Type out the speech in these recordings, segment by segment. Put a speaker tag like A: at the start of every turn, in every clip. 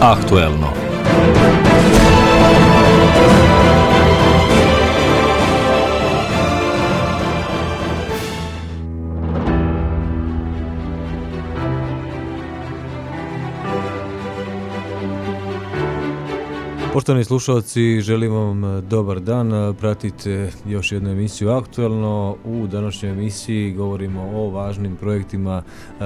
A: Aktuelno. Poštovani slušalci, želim vam dobar dan. Pratite još jednu emisiju Aktuelno. U današnjoj emisiji govorimo o važnim projektima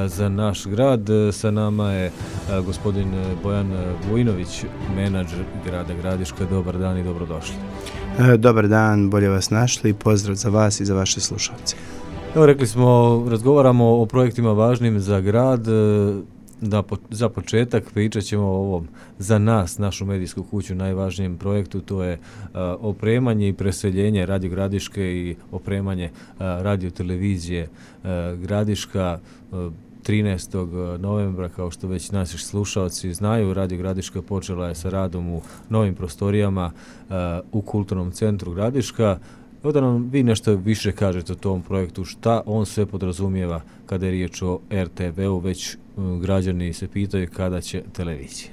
A: za naš grad. Sa nama je gospodin Bojan Vujnović, menadžer grada Gradiška. Dobar dan i dobrodošli.
B: Dobar dan, bolje vas našli. Pozdrav za vas i za vaše slušalce.
A: Evo, rekli smo, razgovaramo o projektima važnim za grad. Za početak pričat ćemo o ovom za nas, našu medijsku kuću, najvažnijem projektu. To je opremanje i preseljenje Radio Gradiške i opremanje radiotelevizije Gradiška. 13. novembra, kao što već naši slušalci znaju, Radio Gradiška počela je sa radom u novim prostorijama u Kulturnom centru Gradiška. Evo da nam vi nešto više kažete o tom projektu, šta on sve podrazumijeva kada je riječ o RTV-u, već građani se pitaju kada će televizija.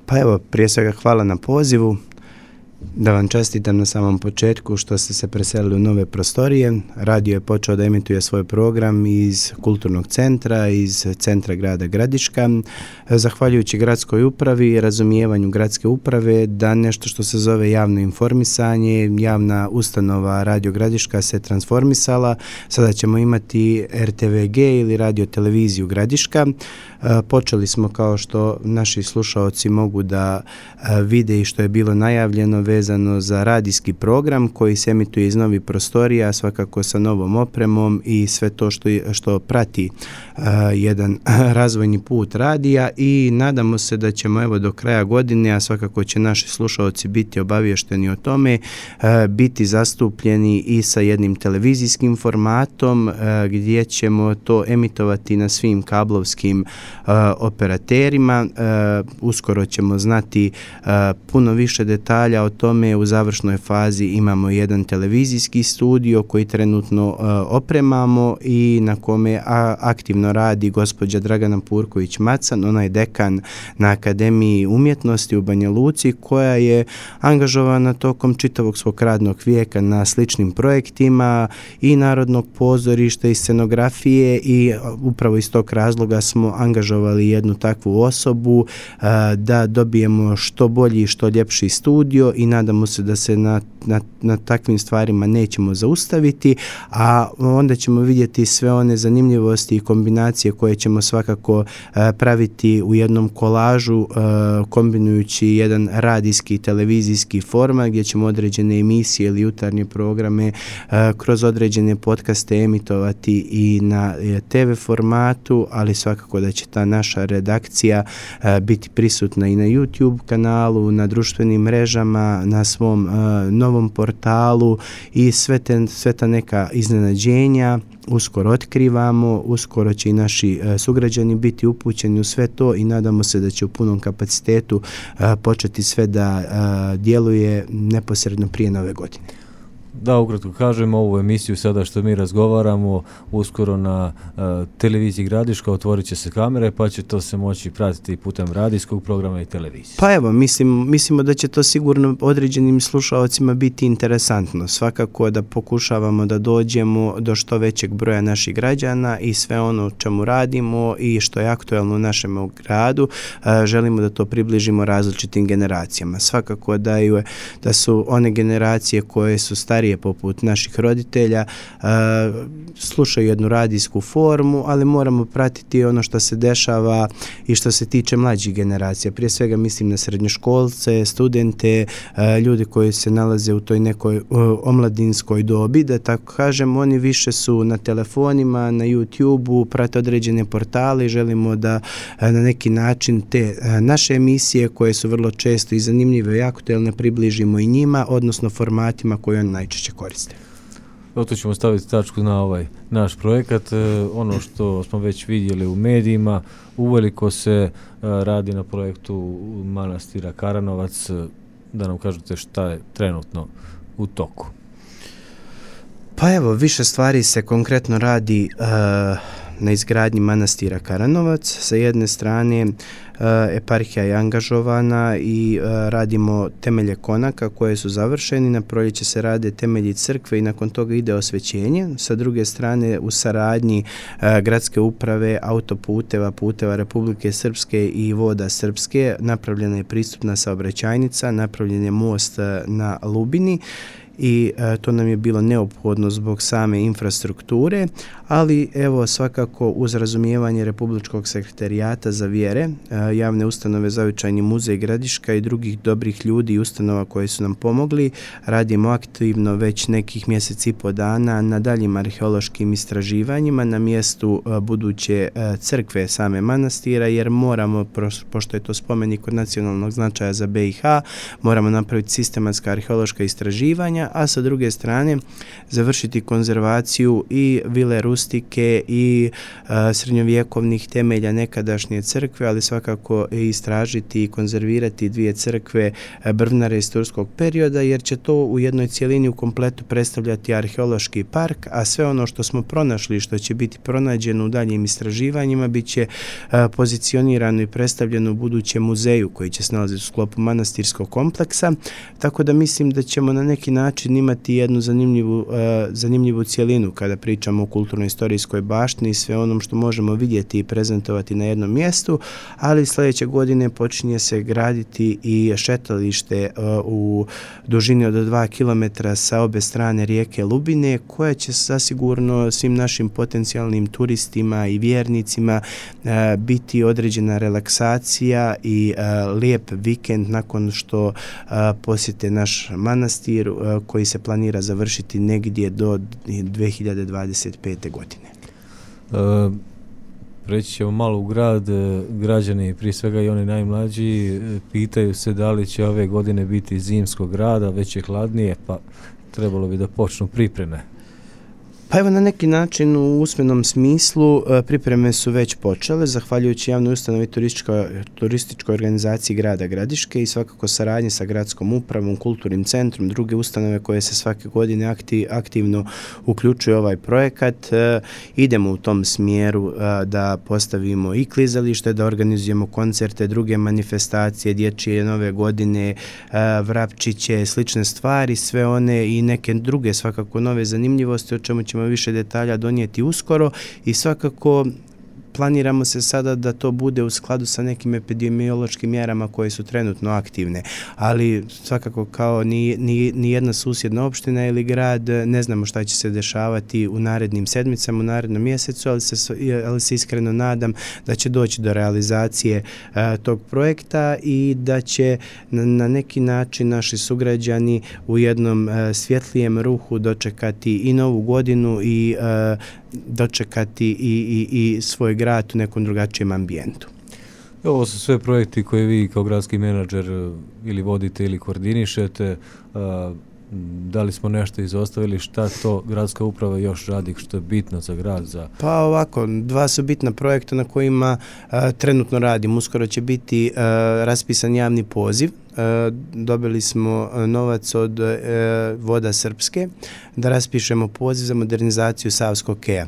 B: Pa evo, prije svega hvala na pozivu, da vam čestitam na samom početku što ste se preselili u nove prostorije. Radio je počeo da emituje svoj program iz Kulturnog centra, iz centra grada Gradiška, zahvaljujući gradskoj upravi i razumijevanju gradske uprave da nešto što se zove javno informisanje, javna ustanova Radio Gradiška se transformisala. Sada ćemo imati RTVG ili Radio televiziju Gradiška. Počeli smo, kao što naši slušaoci mogu da vide i što je bilo najavljeno, vezano za radijski program koji se emituje iz novih prostorija, svakako sa novom opremom i sve to što prati jedan razvojni put radija, i nadamo se da ćemo evo do kraja godine, a svakako će naši slušaoci biti obavješteni o tome, biti zastupljeni i sa jednim televizijskim formatom gdje ćemo to emitovati na svim kablovskim operaterima. Uskoro ćemo znati puno više detalja o tome. U završnoj fazi imamo jedan televizijski studio koji trenutno opremamo i na kome aktivno radi gospođa Dragana Purković-Macan. Ona je dekan na Akademiji umjetnosti u Banja Luci, koja je angažovana tokom čitavog svog radnog vijeka na sličnim projektima i Narodnog pozorišta i scenografije, i upravo iz tog razloga smo angažovali jednu takvu osobu da dobijemo što bolji i što ljepši studio, i nadamo se da se na takvim stvarima nećemo zaustaviti, a onda ćemo vidjeti sve one zanimljivosti i kombinacije koje ćemo svakako praviti u jednom kolažu, kombinujući jedan radijski i televizijski format gdje ćemo određene emisije ili jutarnje programe kroz određene podcaste emitovati i na TV formatu, ali svakako da će ta naša redakcija biti prisutna i na YouTube kanalu, na društvenim mrežama, na svom novom portalu, i sve ta neka iznenađenja uskoro otkrivamo. Uskoro će i naši sugrađani biti upućeni u sve to i nadamo se da će u punom kapacitetu početi sve da djeluje neposredno prije nove godine.
A: Da, ukratko kažemo, ovu emisiju sada što mi razgovaramo, uskoro na televiziji Gradiška otvorit će se kamere, pa će to se moći pratiti putem radijskog programa i televizije.
B: Pa evo, mislimo da će to sigurno određenim slušalcima biti interesantno. Svakako da pokušavamo da dođemo do što većeg broja naših građana, i sve ono o čemu radimo i što je aktuelno u našem gradu, želimo da to približimo različitim generacijama. Svakako da su one generacije koje su starije poput naših roditelja slušaju jednu radijsku formu, ali moramo pratiti ono što se dešava i što se tiče mlađih generacija. Prije svega mislim na srednjoškolce, studente, ljudi koji se nalaze u toj nekoj omladinskoj dobi, da tako kažem. Oni više su na telefonima, na YouTubeu, prate određene portale i želimo da na neki način te naše emisije, koje su vrlo često i zanimljive i aktuelne, približimo i njima, odnosno formatima koje oni najčešće koriste.
A: Tu ćemo staviti tačku na ovaj naš projekat. Ono što smo već vidjeli u medijima, uveliko se radi na projektu manastira Karanovac. Da nam kažete šta je trenutno u toku.
B: Pa evo, više stvari se konkretno radi na izgradnji manastira Karanovac. Sa jedne strane eparhija je angažovana i radimo temelje konaka koje su završeni, na proljeće se rade temelji crkve i nakon toga ide osvećenje. Sa druge strane u saradnji gradske uprave, autoputeva, puteva Republike Srpske i voda Srpske napravljena je pristupna saobraćajnica, napravljen je most na Lubini i to nam je bilo neophodno zbog same infrastrukture, ali evo svakako uz razumijevanje Republičkog sekretarijata za vjere, javne ustanove Zavičajni muzej Gradiška i drugih dobrih ljudi i ustanova koji su nam pomogli, radimo aktivno već nekih mjesec i po dana na daljim arheološkim istraživanjima na mjestu buduće crkve same manastira, jer moramo, pošto je to spomenik od nacionalnog značaja za BiH, moramo napraviti sistematska arheološka istraživanja, a sa druge strane završiti konzervaciju i vile rustike i srednjovjekovnih temelja nekadašnje crkve, ali svakako istražiti i konzervirati dvije crkve brvnare iz turskog perioda, jer će to u jednoj cjelini u kompletu predstavljati arheološki park, a sve ono što smo pronašli, što će biti pronađeno u daljim istraživanjima, bit će pozicionirano i predstavljeno u budućem muzeju koji će se nalaziti u sklopu manastirskog kompleksa, tako da mislim da ćemo na neki način imati jednu zanimljivu cjelinu kada pričamo o kulturno-istorijskoj baštini i sve onom što možemo vidjeti i prezentovati na jednom mjestu, ali sljedeće godine počinje se graditi i šetalište u dužini od 2 km sa obe strane rijeke Lubine, koja će zasigurno svim našim potencijalnim turistima i vjernicima biti određena relaksacija i lijep vikend nakon što posjete naš manastir koji se planira završiti negdje do 2025. godine.
A: Preći ćemo malo u grad, građani, prije svega i oni najmlađi, pitaju se da li će ove godine biti zimskog grada, već je hladnije, pa trebalo bi da počnu pripreme.
B: Pa evo na neki način u usmenom smislu pripreme su već počele, zahvaljujući javnoj ustanovi turističkoj organizaciji grada Gradiške i svakako saradnje sa gradskom upravom, kulturnim centrom, druge ustanove koje se svake godine aktivno uključuju ovaj projekat. Idemo u tom smjeru da postavimo i klizalište, da organizujemo koncerte, druge manifestacije, dječje nove godine, vrapčiće, slične stvari, sve one i neke druge svakako nove zanimljivosti, o čemu ćemo više detalja donijeti uskoro i svakako planiramo se sada da to bude u skladu sa nekim epidemiološkim mjerama koje su trenutno aktivne, ali svakako kao ni jedna susjedna opština ili grad ne znamo šta će se dešavati u narednim sedmicama, u narednom mjesecu, ali se iskreno nadam da će doći do realizacije tog projekta i da će na neki način naši sugrađani u jednom svjetlijem ruhu dočekati i novu godinu i dočekati i svoj grad u nekom drugačijem ambijentu.
A: Ovo su sve projekti koje vi kao gradski menadžer ili vodite ili koordinišete. Da li smo nešto izostavili, šta to gradska uprava još radi, što je bitno za grad?
B: Pa ovako, dva su bitna projekta na kojima trenutno radim. Uskoro će biti raspisan javni poziv. Dobili smo novac od voda Srpske da raspišemo poziv za modernizaciju Savskog keja.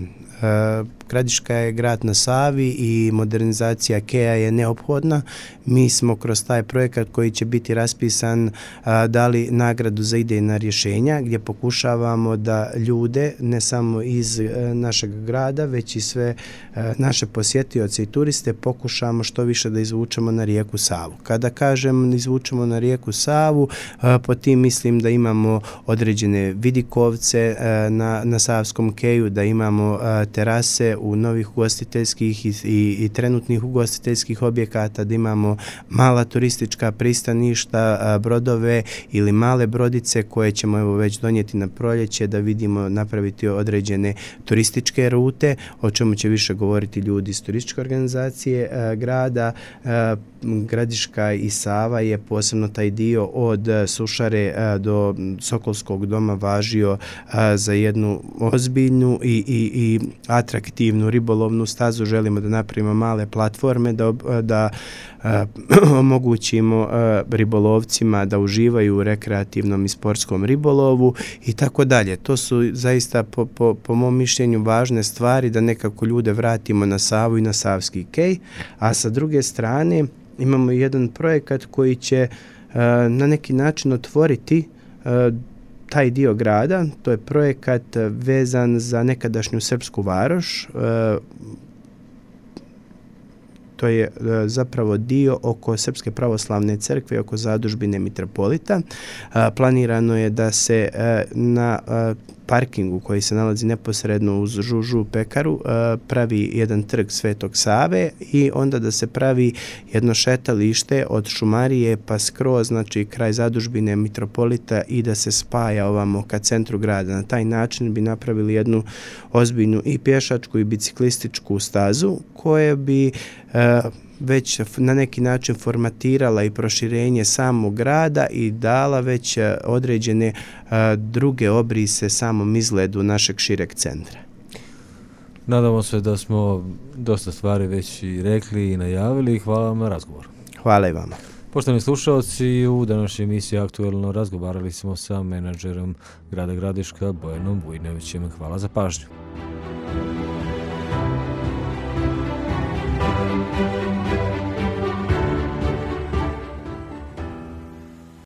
B: Gradiška je grad na Savi i modernizacija keja je neophodna. Mi smo kroz taj projekat koji će biti raspisan dali nagradu za idejna rješenja gdje pokušavamo da ljude, ne samo iz našeg grada, već i sve naše posjetioce i turiste pokušamo što više da izvučemo na rijeku Savu. Kada kažem izvučemo na rijeku Savu, po tim mislim da imamo određene vidikovce na Savskom keju, da imamo terase u novih ugostiteljskih i trenutnih ugostiteljskih objekata, da imamo mala turistička pristaništa, brodove ili male brodice koje ćemo evo već donijeti na proljeće da vidimo napraviti određene turističke rute, o čemu će više govoriti ljudi iz turističke organizacije grada. Gradiška i Sava je posebno taj dio od Sušare do Sokolskog doma važio za jednu ozbiljnu i atraktivnu ribolovnu stazu, želimo da napravimo male platforme, da omogućimo ribolovcima da uživaju u rekreativnom i sportskom ribolovu i tako dalje. To su zaista po mom mišljenju važne stvari da nekako ljude vratimo na Savu i na Savski kej, a sa druge strane imamo jedan projekat koji će na neki način otvoriti taj dio grada. To je projekat vezan za nekadašnju Srpsku Varoš. To je zapravo dio oko Srpske pravoslavne crkve, oko zadužbine mitropolita. Planirano je da se na parkingu koji se nalazi neposredno uz Žužu pekaru pravi jedan trg Svetog Save i onda da se pravi jedno šetalište od Šumarije pa skroz, znači kraj zadužbine mitropolita i da se spaja ovamo ka centru grada. Na taj način bi napravili jednu ozbiljnu i pješačku i biciklističku stazu koja bi već na neki način formatirala i proširenje samog grada i dala već određene druge obrise samom izgledu našeg šireg centra.
A: Nadamo se da smo dosta stvari već i rekli i najavili. Hvala vam na razgovor.
B: Hvala i vama.
A: Poštovani slušalci, u današnjoj emisiji Aktuelno razgovarali smo sa menadžerom grada Gradiška Bojanom Vujnovićem. Hvala za pažnju.